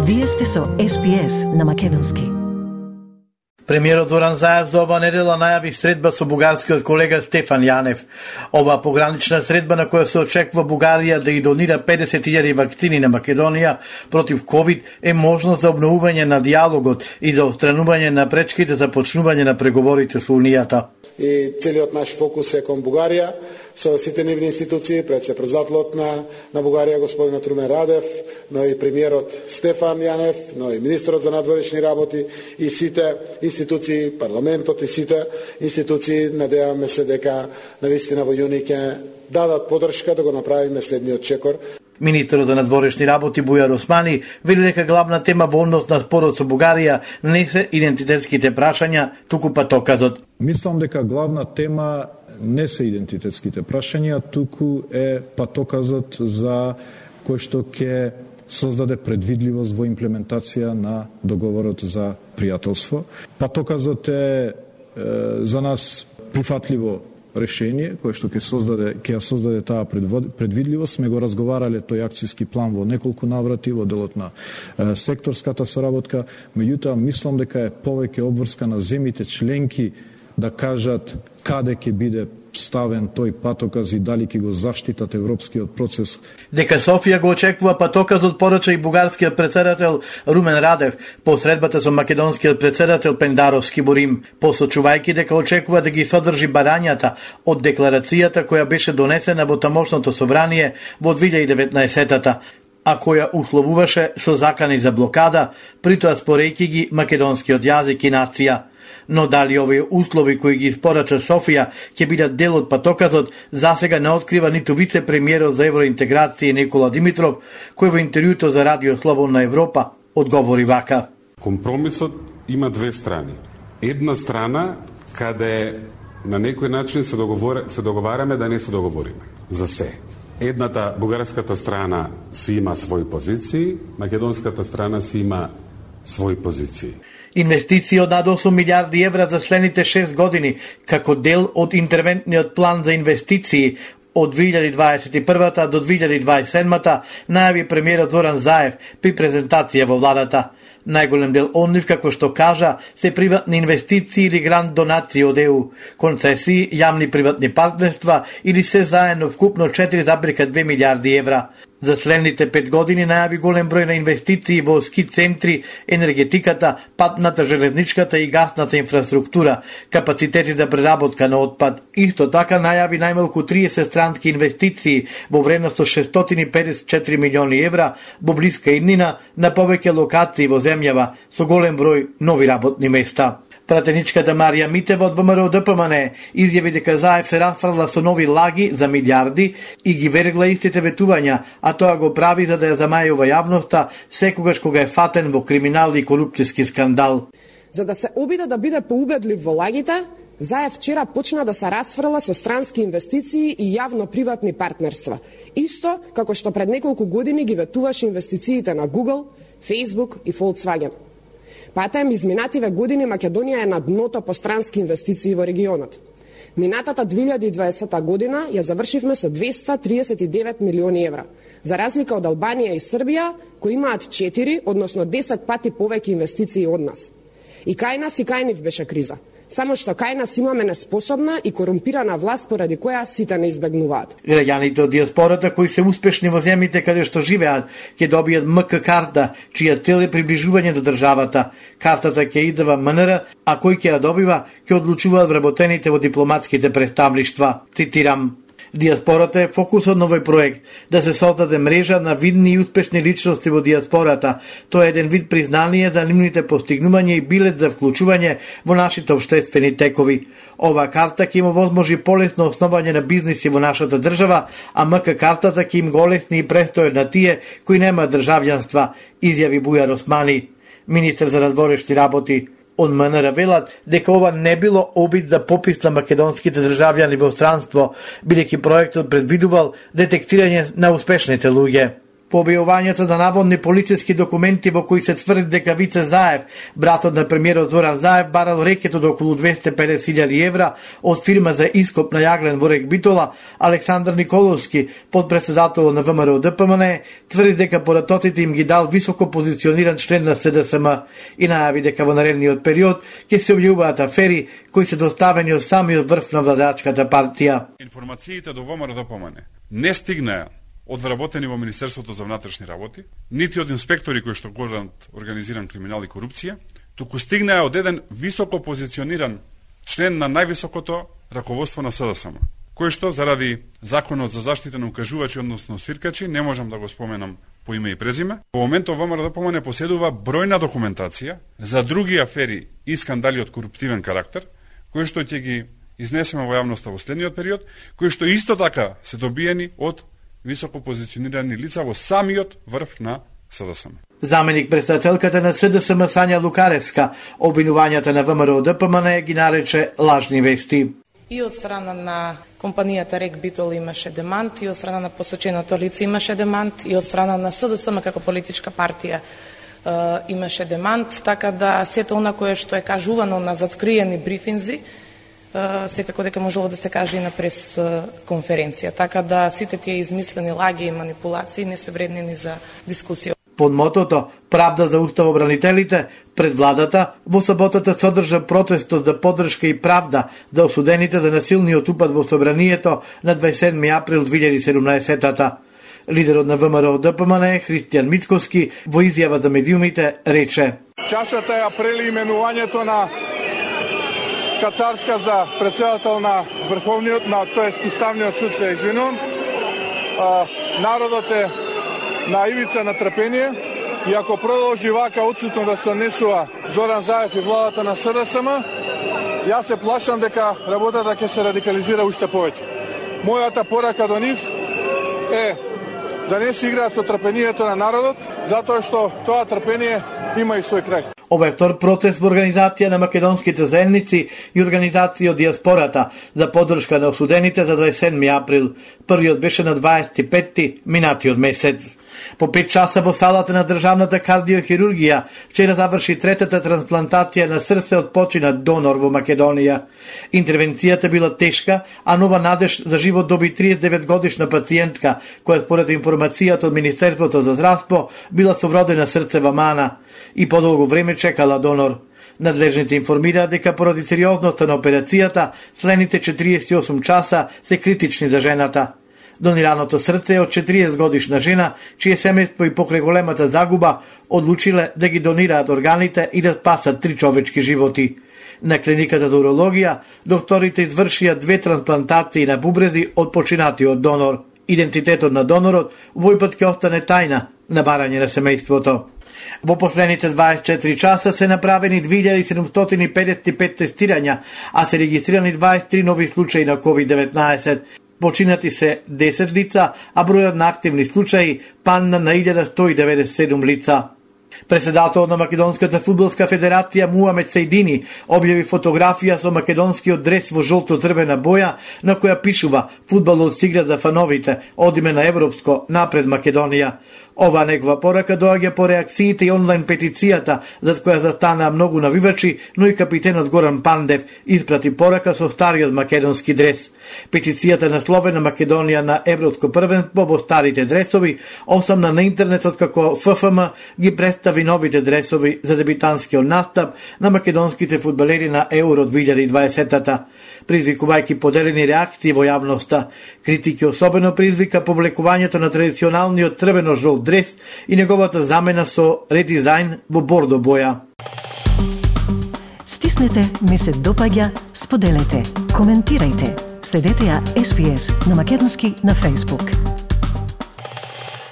Вие сте со SPS на македонски. Премиерот Зоран Заев за ова недела најави средба со бугарскиот колега Стефан Јанев. Ова погранична средба на која се очекува Бугарија да ги донира 50.000 вакцини на Македонија против ковид е можност за обновување на диалогот и за отстранување на пречките за почнување на преговорите со Унијата. И целиот наш фокус е кон Бугарија, со сите нивни институции, пред се председателот на Бугарија господинот Румен Радев, но и премиерот Стефан Јанев, но и министерот за надворешни работи и сите институции, парламентот и сите институции, надеваме се дека навистина во јуни ќе дадат подршка да го направиме следниот чекор. Министерот за надворешни работи Бујар Османи вели дека главна тема во однос на спорот со Бугарија не се идентитетските прашања, туку патоказот. Мислам дека главна тема не се идентитетските прашања, туку е патоказот за кој што ќе создаде предвидливост во имплементација на договорот за пријателство. Патоказот е за нас прифатливо решение кој што ќе создаде таа предвидливост. Сме го разговарале тој акцијски план во неколку наврати во делот на секторската соработка, меѓутоа мислам дека е повеќе обврска на земјите членки да кажат каде ќе биде ставен тој патоказ и дали ќе го заштитат европскиот процес. Дека Софија го очекува патоказот порача и бугарскиот председател Румен Радев по средбата со македонскиот председател Пендаровски во Рим, посочувајќи дека очекува да ги содржи барањата од декларацијата која беше донесена во тамошното собрание во 2019-та, а која условуваше со закани за блокада, притоа спорејќи ги македонскиот јазик и нација. Но дали овие услови кои ги испорача Софија ќе бидат дел од патоказот, засега не открива ниту вице-премиерот за евроинтеграција Никола Димитров, кој во интервјуто за Радио Слободна Европа одговори вака. Компромисот има две страни. Една страна каде на некој начин се договараме да не се договориме за се. Едната, бугарската страна си има своји позиции, македонската страна си има своји позиции. Инвестиции од над 8 милиарди евра за следните 6 години, како дел од интервентниот план за инвестиции од 2021 до 2027, најави премиерот Зоран Заев при презентација во владата. Најголем дел од нив, како што кажа, се приватни инвестиции или грант донации од ЕУ, концесии, јавни приватни партнерства или се заедно вкупно 4,2 милиарди евра. За следните 5 години најави голем број на инвестиции во ски центри, енергетиката, патната, железничката и гасната инфраструктура, капацитети за преработка на отпад. Исто така најави најмалку 30 странски инвестиции во вредност од 654 милиони евра во блиска иднина на повеќе локации во земјава со голем број нови работни места. Пратеничката Марија Митева од ВМРО ДПМН изјави дека Заев се расфрла со нови лаги за милиарди и ги вергла истите ветувања, а тоа го прави за да ја замајува јавноста секогаш кога е фатен во криминал и корупцијски скандал. За да се обиде да биде поубедлив во лагите, Заев вчера почна да се расфрла со странски инвестиции и јавно-приватни партнерства. Исто како што пред неколку години ги ветуваше инвестициите на Google, Facebook и Volkswagen. Патем изминативе години Македонија е на дното по странски инвестиции во регионот. Минатата 2020 година ја завршивме со 239 милиони евра, за разлика од Албанија и Србија, кои имаат 4, односно 10 пати повеќе инвестиции од нас. И кај нас и кај нив беше криза. Само што кај нас имаме неспособна и корумпирана власт поради која сите не избегнуваат. Граѓаните од диаспората кои се успешни во земјите каде што живеат ќе добијат МК карта, чија цел е приближување до државата. Картата ќе идва МНР, а кој ќе ја добива ќе одлучуваат вработените во дипломатските представништва. Цитирам: Диаспората е фокусот на овој проект, да се создаде мрежа на видни и успешни личности во диаспората. Тоа е еден вид признание за нивните постигнувања и билет за вклучување во нашите општествени текови. Ова карта ќе им овозможи полесно основање на бизниси во нашата држава, а МК картата ќе им го олесни и престојот на тие кои немаат државјанства, изјави Бујар Османи, министер за надворешни работи. Од МНР велат дека ова не било обид за попис на македонските државјани во странство, бидејќи проектот предвидувал детектирање на успешните луѓе. По објавувањето на наводни полициски документи во кои се тврди дека Вице Заев, братот на премиерот Зоран Заев, барал рекет од околу 250.000 евра од фирма за ископ на јаглен во Рек Битола, Александар Николовски, подпредседател на ВМРО ДПМН, тврди дека поратоците им ги дал високо позициониран член на СДСМ и најави дека во наредниот период ќе се објавуваат афери кои се доставени од самиот врв на владачката партија. Информациите до ВМРО ДПМН не стигнаа од вработени во Министерството за внатрешни работи, нити од инспектори кои што гонат организиран криминал и корупција, туку стигнаа од еден високо позициониран член на највисокото раководство на СДСМ, кој што заради законот за заштита на укажувачи, односно свиркачи, не можам да го споменам по име и презиме. Во моментов ВМРО ДПМН поседува бројна документација за други афери и скандали од коруптивен карактер, кои што ќе ги изнесеме во јавноста во следниот период, кои што исто така се добиени од високо позиционирани лица во самиот врв на СДСМ. Заменик председателката на СДСМ Сања Лукаревска обвинувањата на ВМРО ДПМН ги нарече лажни вести. И од страна на компанијата Рек Битол имаше демант, и од страна на посоченото лице имаше демант, и од страна на СДСМ како политичка партија имаше демант, така да сето она кое што е кажувано на зацкриени брифинзи, секако дека можело да се каже и на прес конференција. Така да сите тие измислени лаги и манипулации не се вредни ни за дискусија. Под мотото "Правда за уставобранителите", пред владата во саботата содржа протестот за поддршка и правда за осудените за насилниот упад во собранието на 27 април 2017-та. Лидерот на ВМРО ДПМН Христијан Мицковски во изјава за медиумите рече: "Чашата ја прели именувањето на Кацарска за председател на Врховниот, тоест Уставниот суд, се извинувам. Народот е на ивица на трпение и ако продолжи вака отсутно да се однесува Зоран Заев и владата на СДСМ, јас се плашам дека работата ќе се радикализира уште повеќе. Мојата порака до нив е да не се играат со трпението на народот, затоа што тоа трпение има и свој крај. Ова е втор протест во организација на македонските заедници и организација од диаспората за поддршка на осудените за 27 април. Првиот беше на 25 минатиот месец. По 5 часа во салата на државната кардиохирургија вчера заврши третата трансплантација на срце од починат донор во Македонија. Интервенцијата била тешка, а нова надеж за живот доби 39 годишна пациентка, која според информацијата од Министерството за здравство била со вродена срцева мана и подолго време чекала донор. Надлежните информираат дека поради сериозноста на операцијата, следните 48 часа се критични за жената. Донираното срце е од 40 годишна жена, чие семејство и покрај големата загуба одлучиле да ги донираат органите и да спасат 3 човечки животи. На клиниката за урологија, докторите извршија 2 трансплантации на бубрези од починатиот донор. Идентитетот на донорот овој пат ќе остане тајна на барање на семејството. Во последните 24 часа се направени 2755 тестирања, а се регистрирани 23 нови случаи на COVID-19. Починати се 10 лица, а бројот на активни случаи падна на 1197 лица. Председателот на Македонската фудбалска федерација Муамед Сајдини објави фотографија со македонскиот дрес во жолто-црвена боја на која пишува "Фудбалот се игра за фановите, одиме на европско, напред Македонија". Ова негова порака доаѓа по реакциите и онлайн петицијата, за која застанаа многу навивачи, но и капитенот Горан Пандев испрати порака со стариот македонски дрес. Петицијата насловена Македонија на европско првенство во старите дресови осамна на интернетот како ФФМ ги представи новите дресови за дебитанскиот настап на македонските фудбалери на Еуро 2020-та, призвикувајќи поделени реакции во јавноста. Критики особено призвика повлекувањето на традиционалниот црвено-жолт дрес и неговата замена со редизајн во бордо боја. Стиснете, ми се допаѓа, споделете, коментирајте. Следете ја SPS на македонски на Facebook.